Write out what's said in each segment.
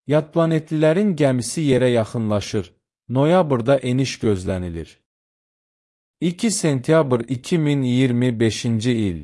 Yad planetlilərin gəmisi yerə yaxınlaşır. Noyabrda eniş gözlənilir. 2 sentyabr 2025-ci il.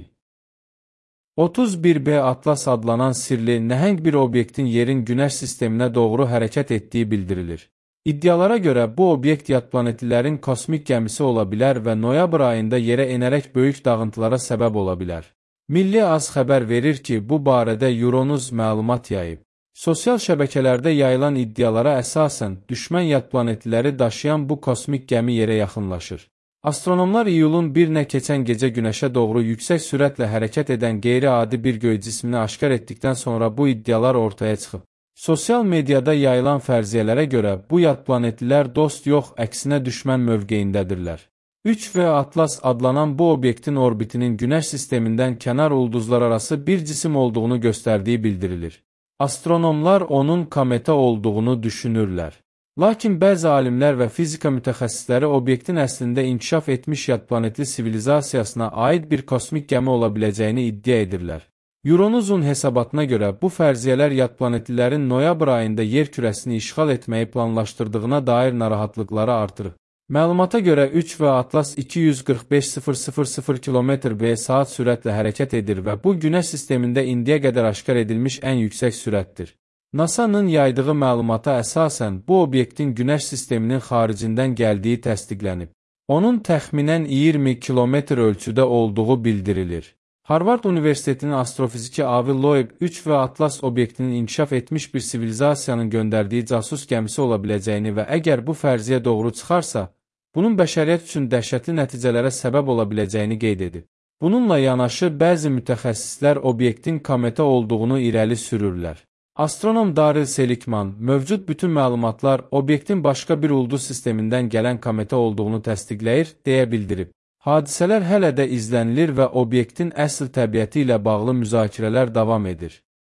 31B Atlas adlanan sirli, nəhəng bir obyektin yerin Günəş sisteminə doğru hərəkət etdiyi bildirilir. İddialara görə bu obyekt yad planetlilərin kosmik gəmisi ola bilər və noyabr ayında yerə enərək böyük dağıntılara səbəb ola bilər. Milli AZ xəbər verir ki, bu barədə Euronews məlumat yayıb. Sosial şəbəkələrdə yayılan iddialara əsasən, düşmən yad planetliləri daşıyan bu kosmik gəmi yerə yaxınlaşır. Astronomlar iyulun 1-nə keçən gecə Günəşə doğru yüksək sürətlə hərəkət edən qeyri-adi bir göy cismini aşkar etdikdən sonra bu iddialar ortaya çıxıb. Sosial mediada yayılan fərziyyələrə görə bu yad planetlilər dost yox, əksinə düşmən mövqeyindədirlər. 3V Atlas adlanan bu obyektin orbitinin Günəş sistemindən kənar ulduzlar arası bir cisim olduğunu göstərdiyi bildirilir. Astronomlar onun kometa olduğunu düşünürlər. Lakin bəzi alimlər və fizika mütəxəssisləri obyektin əslində inkişaf etmiş yad planetli sivilizasiyasına aid bir kosmik gəmi ola biləcəyini iddia edirlər. Euronewsun hesabatına görə bu fərziyyələr yad planetlilərin noyabr ayında yer kürəsini işğal etməyi planlaşdırdığına dair narahatlıqları artırır. Məlumata görə 3V Atlas 245.000 km/saat sürətlə hərəkət edir və bu Günəş sistemində indiyə qədər aşkar edilmiş ən yüksək sürətdir. NASA-nın yaydığı məlumata əsasən bu obyektin Günəş sisteminin xaricindən gəldiyi təsdiqlənib. Onun təxminən 20 kilometr ölçüdə olduğu bildirilir. Harvard Universitetinin astrofiziki Avi Loeb 3V Atlas obyektinin inkişaf etmiş bir sivilizasiyanın göndərdiyi casus gəmisi ola biləcəyini və əgər bu fərziyyə doğru çıxarsa, bunun bəşəriyyət üçün dəhşətli nəticələrə səbəb ola biləcəyini qeyd edib. Bununla yanaşı bəzi mütəxəssislər obyektin kometa olduğunu irəli sürürlər. Astronom Darryl Seligman, mövcud bütün məlumatlar obyektin başqa bir ulduz sistemindən gələn kometa olduğunu təsdiqləyir, deyə bildirib. Hadisələr hələ də izlənilir və obyektin əsl təbiəti ilə bağlı müzakirələr davam edir.